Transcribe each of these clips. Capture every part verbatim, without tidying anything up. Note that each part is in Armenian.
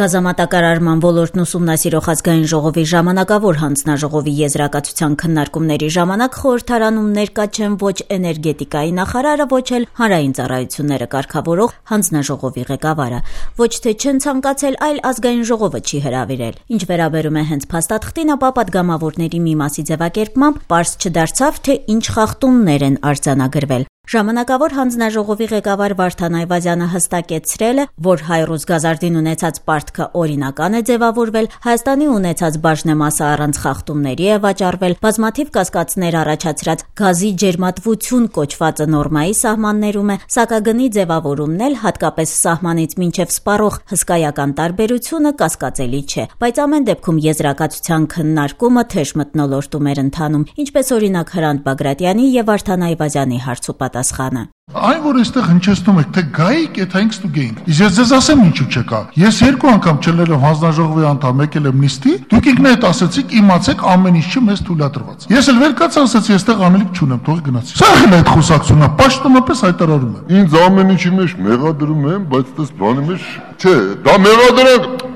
Գազամատակարարման ոլորտն ուսումնասիրող ազգային ժողովի ժամանակավոր հանձնաժողովի եզրակացության քննարկումների ժամանակ խորհրդարանում ներկա չեն ոչ էներգետիկայի նախարարը, ոչ էլ հանրային ծառայությունները կարգավորող հանձնաժողովի ղեկավարը, ոչ թե չեն ցանկացել, այլ ազգային ժողովը չի հրավիրել։ Ինչ վերաբերում է հենց փաստաթղթին, ապա պատգամավորների մի մասի ձևակերպմամբ պարզ չդարձավ, թե ինչ խախտումներ են արձանագրվել։ Ժամանակավոր հանձնաժողովի ղեկավար Վարդան Այվազյանը հստակեցրել է, որ Հայրուզ Գազարդին ունեցած պարտքը օրինական է ձևավորվել, Հայաստանի ունեցած բաժնեմասը առանց խախտումների է վաճառվել, բազմաթիվ կասկածներ առաջացրած գազի ջերմատվություն կոչվածը նորմայի սահմաններում է, սակագնի ձևավորումն էլ հատկապես սահմանից մինչև սպառող հսկայական տարբերությունը կասկածելի չէ, բայց ամեն դեպքում եզրակացության քննարկումը թեժ մթնոլորտում էր ընթանում, ինչպես օրինակ Հրանտ Բագրատյանի եւ Վարդան Այվազյանի հարցուպատասխանը։ Այն, որ այստեղ հնչեցնում եք, թե գայիք, այդ հա ինքս դու գեինք։ Իսկ ես ձեզ ասեմ ինչու չկա։ Ես երկու անգամ չլելով հանձնաժողովի անդամ եկել եմ նիստի, դուք ինքներդ ասացիք, իմացեք ամեն ինչ չի մեզ թույլատրված։ Ես էլ վեր կաց ասացի, այստեղ անելիք չունեմ, թող գնացի։ Սա էլ այդ խոսակցությունն է, պաշտոնապես հայտարարում եմ։ Ինձ ամեն ինչի մեջ մեղադրում են, բայց դες բանի մեջ չէ, դա մեղադրանք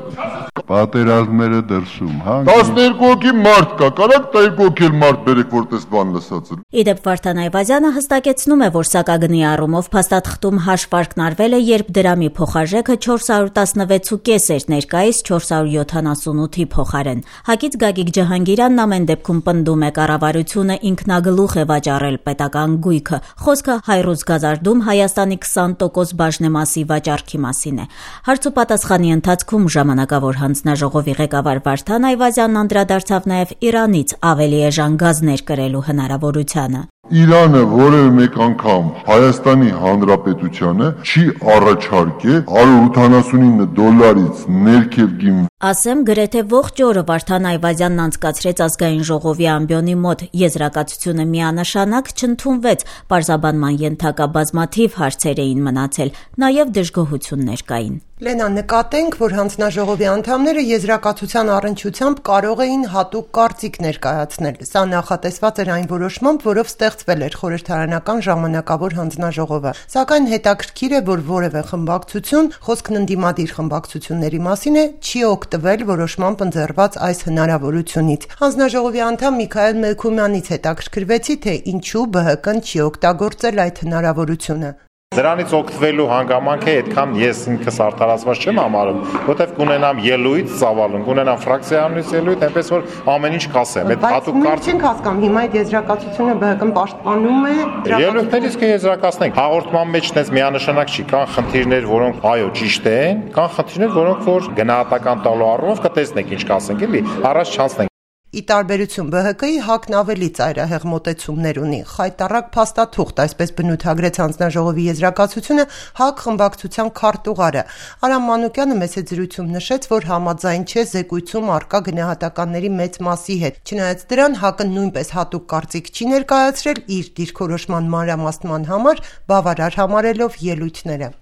պատերազմները դրսում, հա։ տասներկու հոգի մարդ կա, կարակ տասներկու հոգի մարդ բերեք, որ տես բան լսածը։ Իդեպ Վարդան Այվազյանը հստակեցնում է, որ սակագնի առումով փաստաթղթում հաշվարկն արվել է, երբ դրամի փոխարժեքը չորս հարյուր տասնվեց ու կես էր, ներկայիս չորս հարյուր յոթանասունութի փոխարեն։ Հակից Գագիկ Ջհանգիրանն ամեն դեպքում պնդում է կառավարությունը ինքնագլուխ է վաճառել պետական գույքը։ Խոսքը Հայրուզ Գազարդում Հայաստանի քսան տոկոս բաժնեմասի վաճառքի մասին է։ Հարցուպատասխանի ընթացքում ժամանակավոր հանձնաժողովի ղեկավար Վարդան Այվազյանն անդրադարձավ նաև Իրանից ավելի էժան գազներ կրելու հնարավորությանը։ Իրանը որևէ մեկ անգամ Հայաստանի Հանրապետությանը չի առաջարկել հարյուր ութանասունինը դոլարից ներքև գին։ Ասեմ, գրեթե ողջ օրը Վարդան Այվազյանն անցկացրեց ազգային ժողովի ամբիոնի մոտ, եզրակացությունը միանշանակ չընդունվեց, պարզաբանման ենթակա բազմաթիվ հարցեր էին մնացել, նաև դժգոհություններ կային։ Լենա, նկատենք, որ հանձնաժողովի անդամները եզրակացության առնչությամբ կարող էին հատուկ կարծիք ներկայացնել։ Սա նախատեսված էր այն որոշմամբ, որով ստեղծվել էր խորհրդարանական ժամանակավոր հանձնաժողովը։ Սակայն հետաքրքիր է, որ որևէ խմբակցություն, խոսքն ընդդիմադիր խմբակցությունների մասին է, չի օգտվել որոշմամբ ընձեռված այս հնարավորությունից։ Հանձնաժողովի անդամ Միքայել Մելքումյանից հետաքրքրվեցի, թե ինչու Բ Հ Կ-ն չի օգտագործել այդ հնարավորությունը։ Դրանից օգտվելու հանգամանքը այդքան ես ինքս արդարացված չեմ համարում, որտեվ կունենամ ելույթ, ծավալուն, կունենամ ֆրակցիանից ելույթ, այնպես որ ամեն ինչ կասեմ։ Այդ հատուկ կարծիք չենք հասկանում, հիմա այդ եզրակացությունը Բ Հ Կ-ն պաշտպանում է։ Ելույթներից կեզրակացնենք։ Հաղորդման մեջ դες միանշանակ չի, կան խնդիրներ, որոնք այո ճիշտ են, կան խնդիրներ, որոնք որ գնահատական տալու առումով կտեսնենք ինչ կասենք, էլի, առաջ չանցնենք։ Ի տարբերություն Բ Հ Կ-ի ՀԱԿ-ն ավելի ծայրահեղ մոտեցումներ ունի, խայտառակ փաստաթուղթ, այսպես բնութագրեց հանձնաժողովի եզրակացությունը ՀԱԿ խմբակցության քարտուղարը։ Արամ Մանուկյանը մեծ զրույցում նշեց, որ համաձայն չէ զեկույցում առկա գնահատականների մեծ մասի հետ։ Չնայած դրան ՀԱԿ-ը նույնպես հատուկ կարծիք չի ներկայացրել իր դիրքորոշման մանրամասնման համար, բավարար համարելով ելույթները։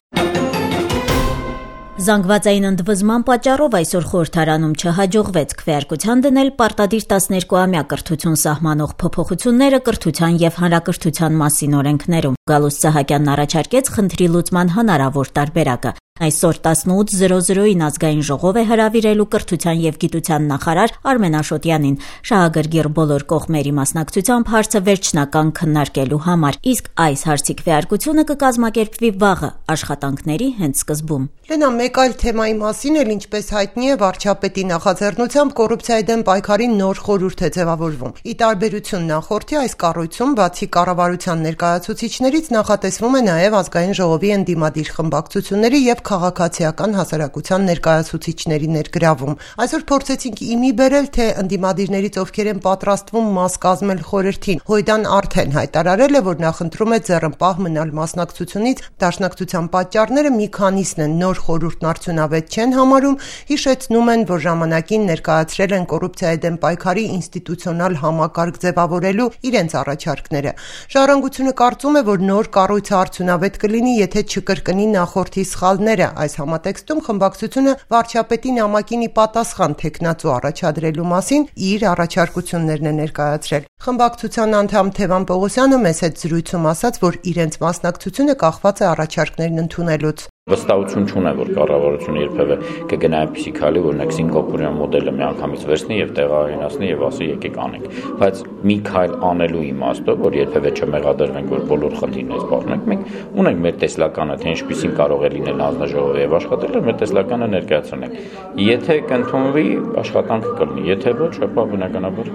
Զանգվածային ընդվզման պատճառով այսօր խորհրդարանում չհաջողվեց քվեարկության դնել պարտադիր տասներկուամյա կրթություն սահմանող փոփոխությունները կրթության եւ հանրակրթության մասին օրենքներում։ Գալուստ Սահակյանն առաջարկեց խնդրի լուծման հնարավոր տարբերակը։ Այսօր տասնութ զրո զրոին ազգային ժողով է հրավիրելու կրթության եւ գիտության նախարար Արմեն Աշոտյանին շահագրգիռ բոլոր կողմերի մասնակցությամբ հարցը վերջնական քննարկելու համար, իսկ այս հարցի քվեարկությունը կկազմակերպվի վաղը աշխատանքների հենց սկզբում։ Լենա, մեկ այլ թեմայի մասին էլ, ինչպես հայտնի է, վարչապետի նախաձեռնությամբ կոռուպցիայի դեմ պայքարի նոր խորհուրդ է ձևավորվում։ Ի տարբերություն նախորդի, այս կառույցում բացի կառավարության ներկայացուցիչներից նախատեսվում է նաև ազգային ժողովի ընդդիմադիր խմբակցությունների եւ քաղաքացիական հասարակության ներկայացուցիչների ներգրավում։ Այսօր փորձեցինք իմի բերել, թե ընդդիմադիրներից ովքեր են պատրաստվում մաս կազմել խորհրդին։ Հույդան արդեն հայտարարել է, որ նախընտրում է ձեռնպահ մնալ մասնակցությունից, դաշնակցության պատճառները մի քանիսն են, նոր խորհուրդն արդյունավետ չեն համարում, հիշեցնում են, որ ժամանակին ներկայացրել են կոռուպցիայի դեմ պայքարի ինստիտուցիոնալ համակարգ ձևավորելու իրենց առաջարկները։ Ժառանգությունը կարծում է, որ նոր կառույցը արդյունավետ կլինի, եթե չկրկնի նախորդի սխալները։ Այս համատեքստում խմբակցությունը վարչապետի նամակին ի պատասխան թեկնածու առաջադրելու մասին իր առաջարկություններն է ներկայացրել։ Խմբակցության անդամ Թևան Պողոսյանը մեծ հետ զրույցում ասաց, որ իրենց մասնակցությունը կախված է առաջարկներն ընդունելուց։ Վստահություն չունեմ, որ կառավարությունը երբևէ կգնա այնպիսի քայլի, օրինակ Սինգապուրյան մոդելը միանգամից վերցնի եւ տեղայնացնի եւ ասի եկեք անենք, բայց մի քայլ անելու իմաստով, որ երբևէ չմեղադրվենք, որ բոլոր խնդիրներից բախնենք, մենք ունենք մեր տեսլականը, թե ինչպիսին կարող է լինել հանձնաժողովը եւ աշխատելը, մեր տեսլականը ներկայացնենք։ Եթե կընդունվի, աշխատանքը կլինի, եթե ոչ, ապա բնականաբար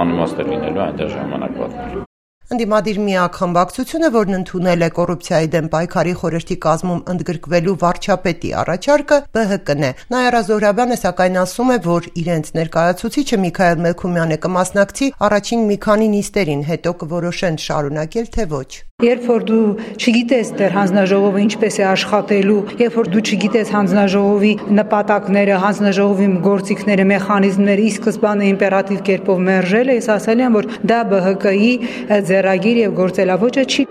անիմաստ է լինելու այնտեղ ժամանակ պատմելու։ Ընդդիմադիր միակ խմբակցությունը, որն ընդունել է կոռուպցիայի դեմ պայքարի խորհրդի կազմում ընդգրկվելու վարչապետի առաջարկը, Բ Հ Կն է։ Նաիրա Զոհրաբյանը սակայն ասում է, որ իրենց ներկայացուցիչը Միքայել Մելքումյանը կմասնակցի առաջին մի քանի նիստերին, հետո կորոշեն շարունակել թե ոչ։ Երբ որ դու չգիտես դեռ հանձնաժողովը ինչպես է աշխատելու, երբ որ դու չգիտես հանձնաժողովի նպատակները, հանձնաժողովի գործիքները, մեխանիզմները, ի սկզբանե իմպերատիվ կերպով մերժել է, ես ասել եմ, որ դա Բ Հ Կի ձեռագիր եւ գործելավոճը չի։